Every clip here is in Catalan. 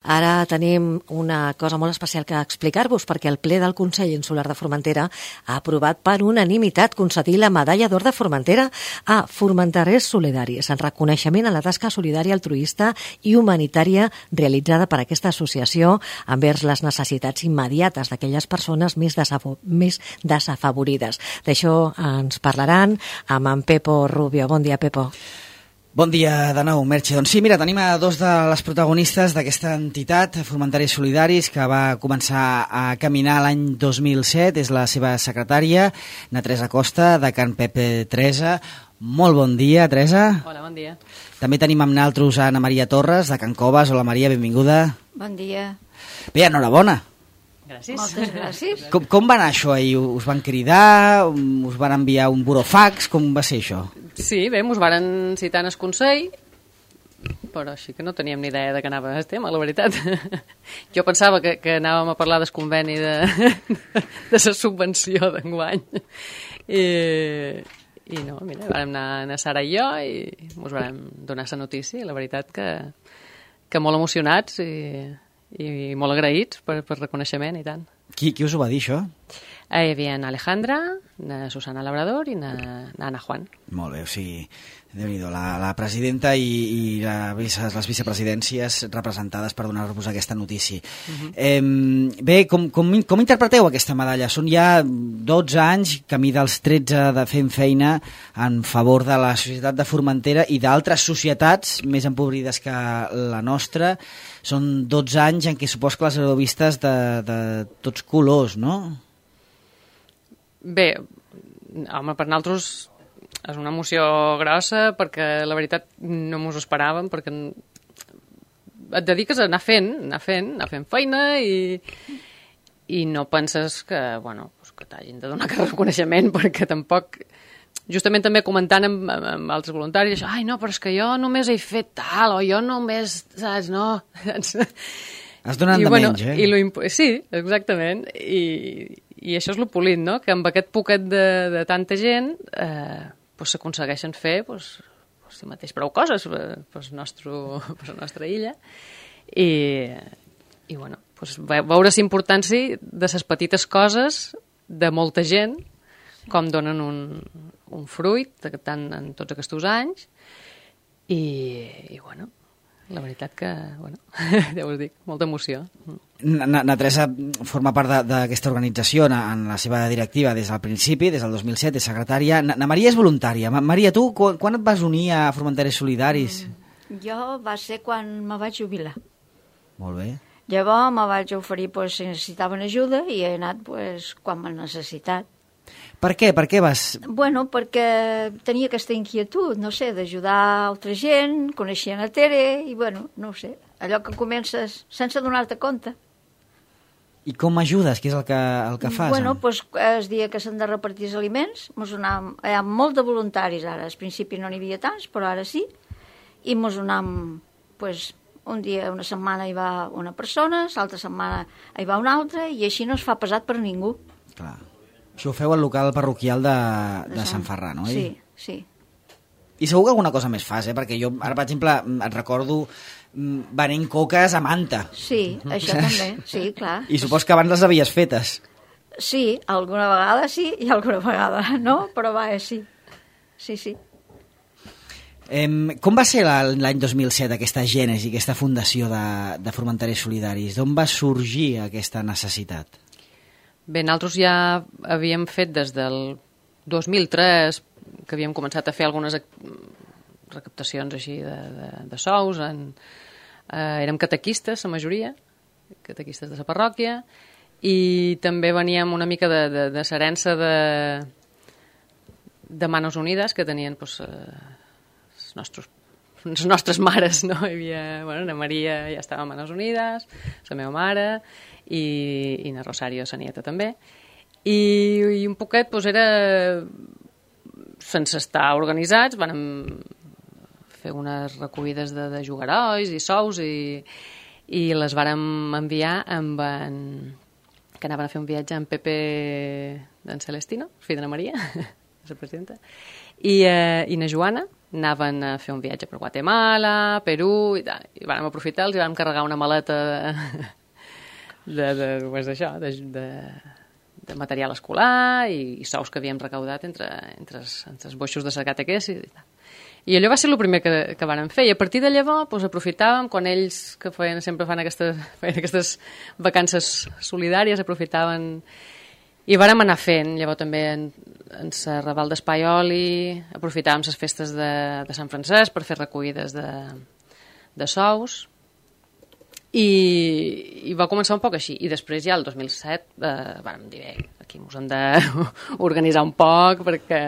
Ara tenim una cosa molt especial que explicar-vos, perquè el ple del Consell Insular de Formentera ha aprovat per unanimitat concedir la Medalla d'Or de Formentera a formenterers solidaris, en reconeixement a la tasca solidària, altruista i humanitària realitzada per aquesta associació envers les necessitats immediates d'aquelles persones més desafavorides. D'això ens parlaran amb en Pepo Rubio. Bon dia, Pepo. Bon dia de nou, Merche. Doncs sí, mira, tenim a dos de les protagonistes d'aquesta entitat, Formenters Solidaris, que va començar a caminar l'any 2007. És la seva secretària, na Teresa Costa, de Can Pepe Teresa. Molt bon dia, Teresa. Hola, bon dia. També tenim amb naltros a Ana Maria Torres, de Can Coves. Hola, Maria, benvinguda. Bon dia. Bé, enhorabona. Gràcies. Moltes gràcies. Com va anar això ahir? Us van cridar? Us van enviar un burofax? Com va ser això? Sí, bé, mos varen citar en el Consell, però així que no teníem ni idea de què anava el tema, la veritat. Jo pensava que anàvem a parlar del conveni de la subvenció d'enguany. I no, mira, vam anar a Sara i jo i mos vam donar la notícia, i la veritat que molt emocionats i molt agraïts per reconeixement i tant. Qui us ho va dir, això? Hi havia Alejandra, Susana Labrador i Ana Juan. Molt bé, o sigui, Déu-n'hi-do, la presidenta i les vicepresidències representades per donar-vos aquesta notícia. Bé, com interpreteu aquesta medalla? Són ja 12 anys, camí dels 13 de fent feina en favor de la societat de Formentera i d'altres societats més empobrides que la nostra. Són 12 anys en què supos que les heu vistes de tots colors, no? Bé, home, per nosaltres és una emoció grossa perquè la veritat no mos ho esperàvem, perquè et dediques a anar fent feina i no penses que, bueno, que t'hagin de donar aquest reconeixement, perquè tampoc... Justament també comentant amb altres voluntaris, això, ai, no, però és que jo només he fet tal, o jo només, saps, no... Has donat de menys, eh? Sí, exactament, i això és lo polit, no?, que amb aquest poquet de tanta gent s'aconsegueixen fer si mateix prou coses per la nostra illa, i bueno, veure la importància de les petites coses de molta gent, com donen un fruit tant en tots aquests anys, i bueno, la veritat que, bueno, ja us dic, molta emoció. Na Teresa forma part d'aquesta organització en la seva directiva des del principi, des del 2007, és secretària. Na Maria és voluntària. Maria, tu quan et vas unir a Formenters Solidaris? Jo va ser quan me vaig jubilar. Molt bé. Llavors me vaig oferir si necessitaven ajuda i he anat quan m'han necessitat. Per què? Per què vas? Bueno, perquè tenia aquesta inquietud, no sé, d'ajudar altra gent, coneixia a Tere i, bueno, no ho sé, allò que comences sense donar-te compte. I com ajudes? Què és el que fas? Bueno, doncs el dia que s'han de repartir els aliments, hi ha molt de voluntaris ara, al principi no n'hi havia tants, però ara sí, i mos donam, un dia, una setmana hi va una persona, l'altra setmana hi va una altra, i així no es fa pesat per ningú. Clar. Això ho feu al local parroquial de Sant Ferran, oi? Sí, sí. I segur que alguna cosa més fas, perquè jo ara, per exemple, et recordo venent coques a Manta. Sí, això també, sí, clar. I supos que abans les havies fetes. Sí, alguna vegada sí i alguna vegada no, però sí. Sí, sí. Com va ser l'any 2007 aquesta gènesi, aquesta fundació de Formenters Solidaris? D'on va sorgir aquesta necessitat? Bé, nosaltres ja havíem fet des del 2003, que havíem començat a fer algunes recaptacions així de sous. Érem catequistes, la majoria, catequistes de la parròquia, i també veníem una mica de l'herència de Manos Unides, que tenien les nostres mares, no? Hi havia, la Maria ja estava a Manos Unides, la meva mare, i na Rosario, sa nieta, també. I un poquet era, sense estar organitzats, vam fer unes recollides de jugarois i sous i les vàrem enviar que anaven a fer un viatge amb Pepe d'en Celestino, fill de na Maria, la presidenta, I na Joana anaven a fer un viatge per Guatemala, Perú i tal. I vam aprofitar, els vam carregar una maleta de material escolar i sous que havíem recaudat entre els boixos de Sacatequés i tal. I allò va ser el primer que vàrem fer, i a partir de llavors doncs, aprofitàvem, quan ells que sempre fan aquestes vacances solidàries, aprofitaven i vàrem anar fent. Llavors també en Raval d'Espaioli aprofitàvem les festes de Sant Francesc per fer recollides de sous, i va començar un poc així. I després ja el 2007 vàrem dir, aquí ens hem d'organitzar un poc perquè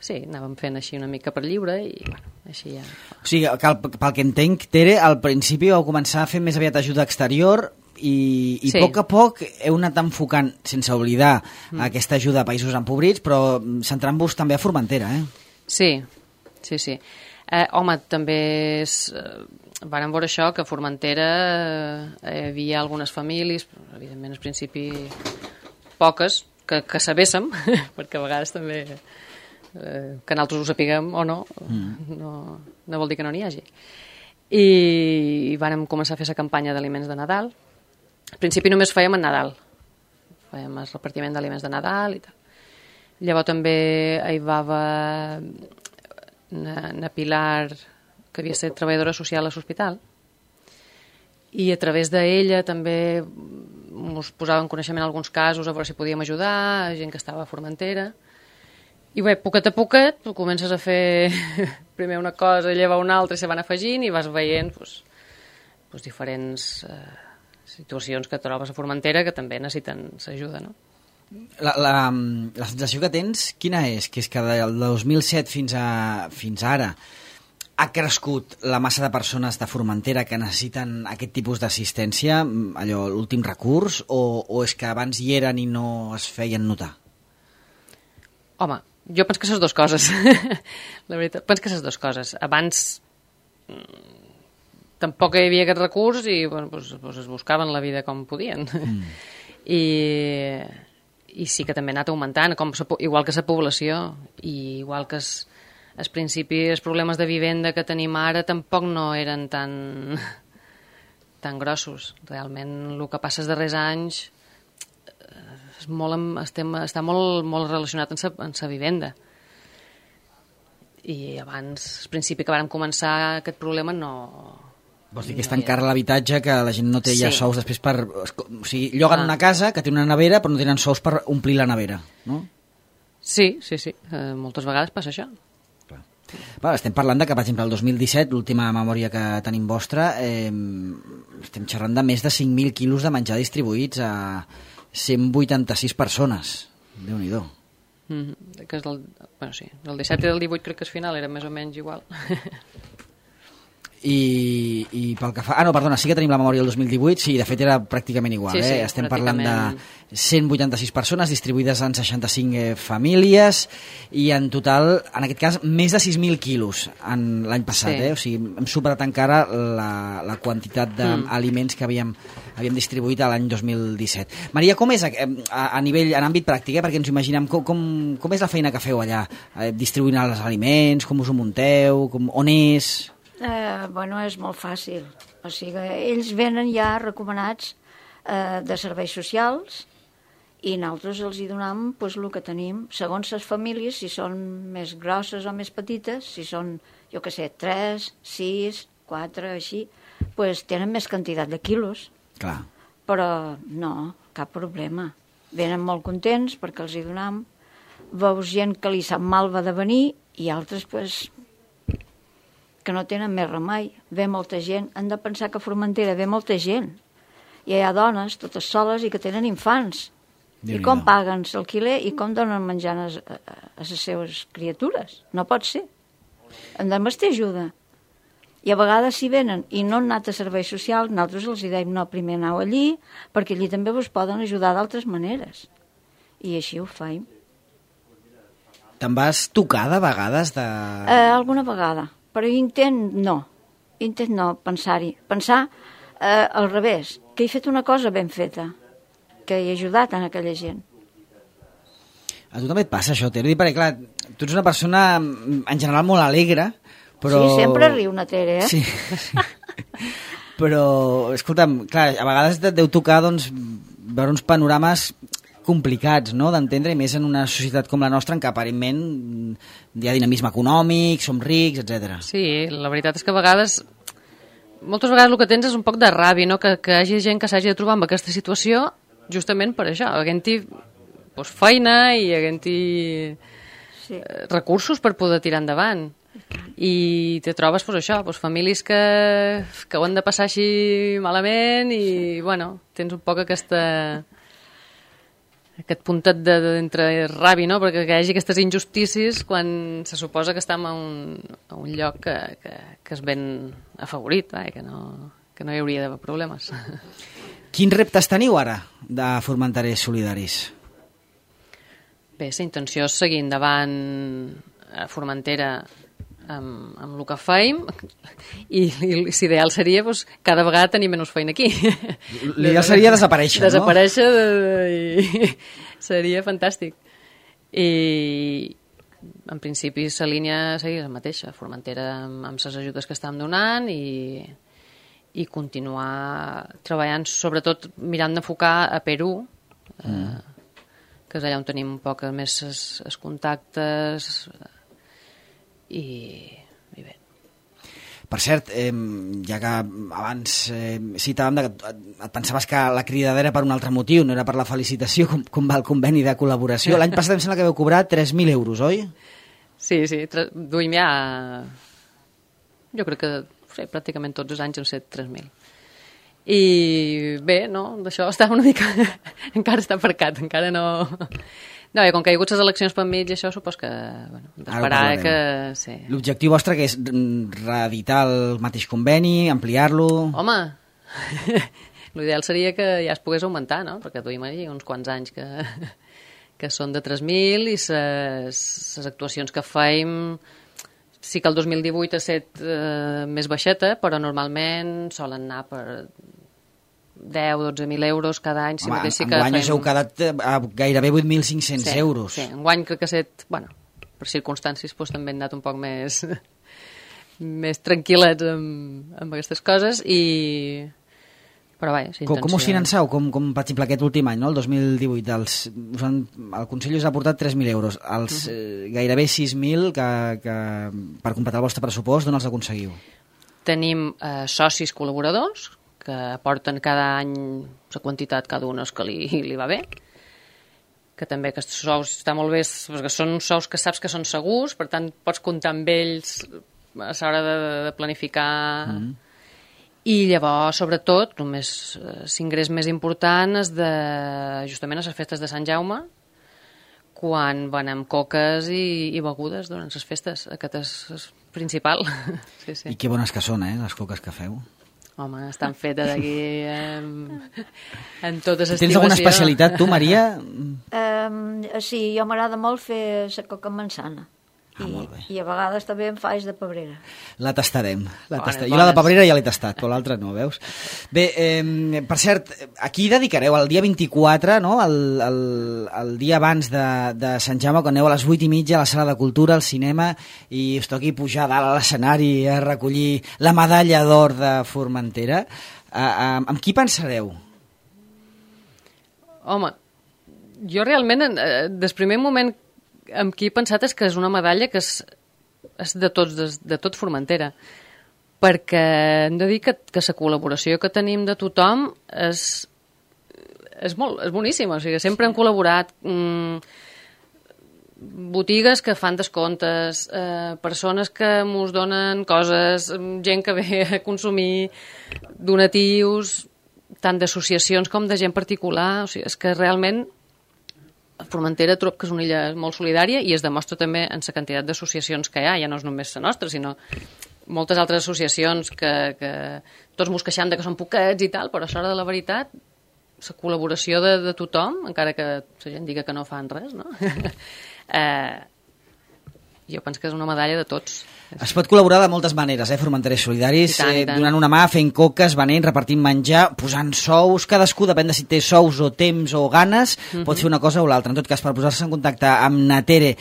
sí, anàvem fent així una mica per lliure i bueno, així ja... O sigui, pel que entenc, Tere, al principi vau començar a fer més aviat ajuda exterior i sí. A poc heu anat enfocant, sense oblidar aquesta ajuda a països empobrits, però centrant-vos també a Formentera, Sí. Home, també vàrem veure això, que a Formentera hi havia algunes famílies, evidentment al principi poques, que sabéssim, perquè a vegades també... que nosaltres ho sapiguem o no, no vol dir que no n'hi hagi. I vàrem començar a fer la campanya d'aliments de Nadal. Al principi només fèiem en Nadal, fèiem el repartiment d'aliments de Nadal i tal. Llavors també hi va na Pilar, que havia estat treballadora social a l'hospital, i a través d'ella també ens posava en coneixement alguns casos a veure si podíem ajudar, gent que estava a Formentera. I bé, poquet a poquet comences a fer primer una cosa i llavors una altra i se van afegint i vas veient diferents situacions que trobes a Formentera que també necessiten l'ajuda, no? La sensació que tens, quina és? Que és que del 2007 fins ara ha crescut la massa de persones de Formentera que necessiten aquest tipus d'assistència, allò, l'últim recurs, o és que abans hi eren i no es feien notar? Home, jo penso que són dues coses. La veritat, penso que són dues coses. Abans tampoc hi havia aquest recurs i bueno, pues es buscaven la vida com podien. I sí que també ha anat augmentant, igual que la població, i igual que al principi els problemes de vivenda que tenim ara tampoc no eren tan grossos. Realment el que passa els darrers anys està molt relacionat amb la vivenda. I abans, al principi que vàrem començar aquest problema, no... Vols dir que és tan car l'habitatge que la gent no té ja sous després per... O sigui, lloguen una casa que té una nevera però no tenen sous per omplir la nevera, no? Sí. Moltes vegades passa això. Clar, estem parlant de que, per exemple, el 2017, l'última memòria que tenim vostra, estem xerrant de més de 5.000 quilos de menjar distribuïts a 186 persones. Déu-n'hi-do. Que és del 17 i del 18 crec que al final era més o menys igual. I pel que fa... Ah, no, perdona, sí que tenim la memòria del 2018, sí, de fet era pràcticament igual. Sí, estem parlant de 186 persones distribuïdes en 65 famílies i en total, en aquest cas, més de 6.000 quilos l'any passat. O sigui, hem superat encara la quantitat d'aliments que havíem distribuït l'any 2017. Maria, com és a nivell, en àmbit pràctic, perquè ens ho imaginem, com és la feina que feu allà? Distribuint els aliments, com us ho munteu, on és... Bueno, és molt fàcil. O sigui, ells venen ja recomanats de serveis socials i nosaltres els hi donem pues, el que tenim, segons les famílies, si són més grosses o més petites, si són, jo què sé, 3, 6, 4, així, pues, tenen més quantitat de quilos. Clar. Però no, cap problema. Venen molt contents perquè els hi donem. Veus gent que li sap mal va de venir i altres, pues, que no tenen més remei. Ve molta gent. Han de pensar que a Formentera ve molta gent. I hi ha dones, totes soles, i que tenen infants. I com paguen l'alquiler i com donen menjant a les seves criatures? No pot ser. Hem de més ajuda. I a vegades si venen i no han anat a serveis socials, nosaltres els dèiem no, primer aneu allí, perquè allí també vos poden ajudar d'altres maneres. I així ho faim. Te'n vas tocar de vegades de... Alguna vegada. Però intent no pensar-hi. Pensar al revés, que he fet una cosa ben feta, que he ajudat a aquella gent. A tu també et passa això, Tere? Perquè, clar, tu ets una persona en general molt alegre, però... Sí, sempre riu una Tere, eh? Sí. Però, escolta'm, clar, a vegades et deu tocar, doncs, veure uns panorames complicats, no?, d'entendre, i més en una societat com la nostra, en què aparentment hi ha dinamisme econòmic, som rics, etc. Sí, la veritat és que a vegades... Moltes vegades el que tens és un poc de ràbia, no?, que hi hagi gent que s'hagi de trobar amb aquesta situació justament per això, havent-hi feina i havent-hi recursos per poder tirar endavant. I te trobes això, famílies que ho han de passar així malament i, bueno, tens un poc aquest puntet d'entre ràbia, no?, perquè hi hagi aquestes injustícies quan se suposa que estem a un lloc que és ben afavorit, que no hi hauria d'haver problemes. Quins reptes teniu ara de Formenterers Solidaris? Bé, la intenció és seguir endavant a Formentera amb el que feim i l'ideal seria cada vegada tenir menys feina aquí. L'ideal seria desaparèixer, no? Desaparèixer i seria fantàstic. I en principi la línia seria la mateixa, Formentera amb les ajudes que estem donant i continuar treballant, sobretot mirant d'enfocar a Perú, que és allà on tenim un poc més els contactes i bé. Per cert, ja que abans citàvem que et pensaves que la cridadera era per un altre motiu, no era per la felicitació, com va el conveni de col·laboració. L'any passat em sembla que vau cobrar 3.000 euros, oi? Sí, duim ja... Jo crec que pràcticament tots els anys hem set 3.000. I bé, no, d'això estava una mica... encara està aparcat, encara no... No, com que hi ha hagut les eleccions per mig i això, supos que... Bueno, d'esperar que... Sí. L'objectiu vostre que és reeditar el mateix conveni, ampliar-lo... Home, l'ideal seria que ja es pogués augmentar, no? Perquè duim allà uns quants anys que són de 3.000 i les actuacions que fem... Sí que el 2018 ha estat més baixeta, però normalment solen anar per 10-12.000 euros cada any. Home, enguany us heu quedat a gairebé 8.500 euros. Sí, enguany crec que ha estat, bueno, per circumstàncies també han anat un poc més tranquil·lets amb aquestes coses i... Però vaja, com us financeu? Com per exemple aquest últim any, no? El 2018, el Consell us ha aportat 3.000 euros. Els gairebé 6.000 que per completar el vostre pressupost, d'on els aconseguiu? Tenim socis col·laboradors que aporten cada any la quantitat cada un que li va bé, que també aquests sous està molt bé, perquè són sous que saps que són segurs, per tant pots comptar amb ells a l'hora de planificar... I llavors, sobretot, només l'ingrés més important és justament a les festes de Sant Jaume, quan venem coques i begudes durant les festes. Aquest és principal. Sí. I que bones que són, les coques que feu. Home, estan fetes aquí en tota l'estimació. Tens alguna especialitat, tu, Maria? Sí, jo m'agrada molt fer la coca amb manzana. I a vegades també em faig de pebrera. La tastarem. Jo la de pebrera ja l'he tastat, però l'altra no, veus? Bé, per cert, aquí dedicareu el dia 24, no? el dia abans de Sant Jaume, quan aneu a les 8:30 a la sala de cultura, al cinema, i us toqui pujar dalt a l'escenari a recollir la medalla d'or de Formentera. Amb qui pensareu? Home, jo realment, des primer moment amb qui he pensat és que és una medalla que és de tot Formentera, perquè hem de dir que la col·laboració que tenim de tothom és boníssima, o sigui, sempre hem col·laborat botigues que fan descomptes, persones que mos donen coses, gent que ve a consumir, donatius, tant d'associacions com de gent particular, o sigui, és que realment Formentera trobo que és una illa molt solidària i es demostra també en la quantitat d'associacions que hi ha, ja no és només la nostra, sinó moltes altres associacions que tots mos queixem que són poquets i tal, però a l'hora de la veritat la col·laboració de tothom, encara que la gent diga que no fan res, no? Jo penso que és una medalla de tots. Es pot col·laborar de moltes maneres, Formenterers Solidaris, I tant. donant una mà, fent coques, venent, repartint menjar, posant sous, cadascú, depèn de si té sous o temps o ganes, pot fer una cosa o l'altra. En tot cas, per posar-se en contacte amb Natere,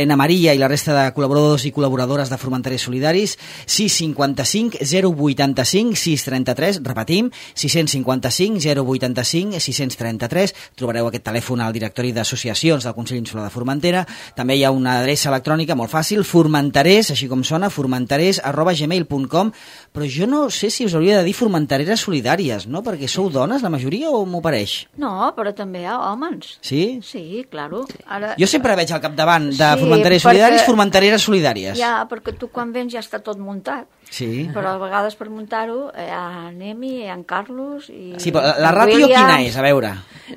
na Maria i la resta de col·laboradors i col·laboradores de Formenterers Solidaris, 655 085 633, repetim, 655 085 633, trobareu aquest telèfon al directori d'associacions del Consell Insular de Formentera. També hi ha una adreça electrònica molt fàcil, Formenterers, així com sona, formenterers@gmail.com, però jo no sé si us hauria de dir Formentereres Solidàries, no? Perquè sou dones, la majoria, o m'ho pareix? No, però també hi ha homes. Sí? Sí, claro. Ara, Jo sempre veig al capdavant de Sí, Formenterers perquè- Solidaris, Formentereres Solidàries. ja, perquè tu quan vens ja està tot muntat. Sí. Però a vegades per muntar-ho hi ha en Emi, hi ha en Carlos i... Sí, però la en ràtio William. quina és? A veure.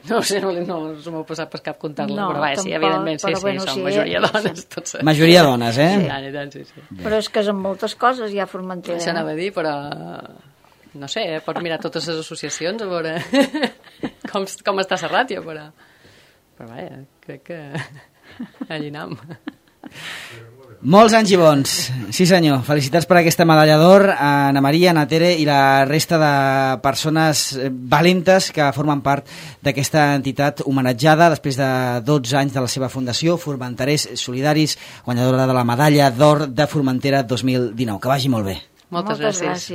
No sé, no se m'ha passat per cap comptar-la, No, però vaja, sí, tampoc, evidentment, sí, però sí, bueno, som sí, majoria dones, tots. Majoria dones, I eh? tant, i tant, sí. Però és que és en moltes coses hi ha Formentera. Això anava a dir, però no sé, pots mirar totes les associacions a veure com està la ràtio, però vaja, crec que allí anem. Molts anys i bons. Sí, senyor. Felicitats per aquesta medalla d'or a Ana Maria, a Natere i la resta de persones valentes que formen part d'aquesta entitat homenatjada després de 12 anys de la seva fundació, Formenterers Solidaris, guanyadora de la medalla d'or de Formentera 2019. Que vagi molt bé. Moltes gràcies.